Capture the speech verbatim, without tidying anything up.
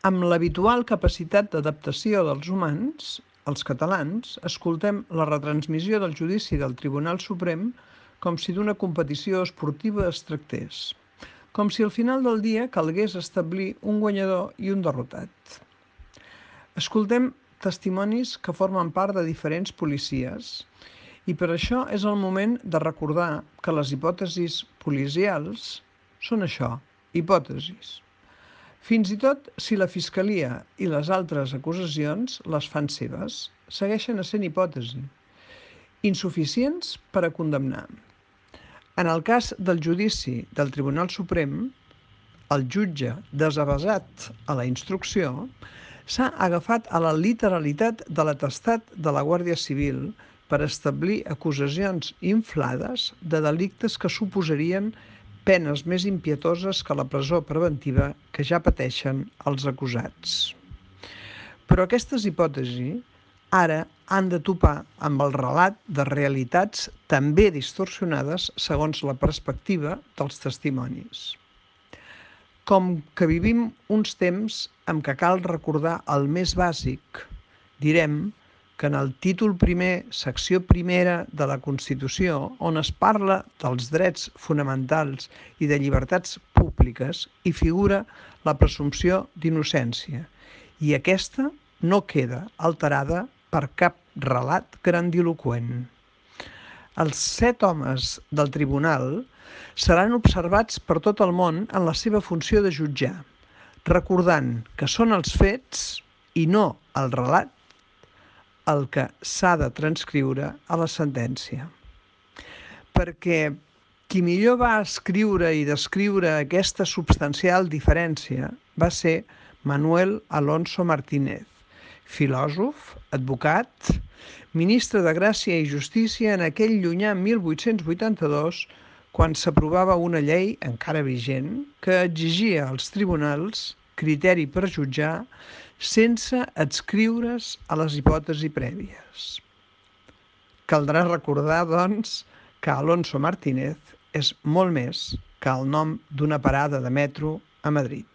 Amb l'habitual capacitat d'adaptació dels humans, els catalans, escoltem la retransmissió del judici del Tribunal Suprem com si d'una competició esportiva es tractés, com si al final del dia calgués establir un guanyador i un derrotat. Escoltem testimonis que formen part de diferents policies i per això és el moment de recordar que les hipòtesis policials són això, hipòtesis. Fins i tot si la Fiscalia i les altres acusacions les fan seves, segueixen essent hipòtesi, insuficients per a condemnar. En el cas del judici del Tribunal Suprem, el jutge, desavesat a la instrucció, s'ha agafat a la literalitat de l'atestat de la Guàrdia Civil per establir acusacions inflades de delictes que suposarien penes més impietoses que la presó preventiva que ja pateixen els acusats. Però aquestes hipòtesis ara han de topar amb el relat de realitats també distorsionades segons la perspectiva dels testimonis. Com que vivim uns temps en què cal recordar el més bàsic, direm que en el títol primer, secció primera de la Constitució, on es parla dels drets fonamentals i de llibertats públiques, hi figura la presumpció d'innocència, i aquesta no queda alterada per cap relat grandiloqüent. Els set homes del tribunal seran observats per tot el món en la seva funció de jutjar, recordant que són els fets i no el relat el que s'ha de transcriure a la sentència. Perquè qui millor va escriure i descriure aquesta substancial diferència va ser Manuel Alonso Martínez, filòsof, advocat, ministre de Gràcia i Justícia en aquell llunyà mil vuit-cents vuitanta-dos, quan s'aprovava una llei, encara vigent, que exigia als tribunals criteri per jutjar sense adscriure's a les hipòtesis prèvies. Caldrà recordar, doncs, que Alonso Martínez és molt més que el nom d'una parada de metro a Madrid.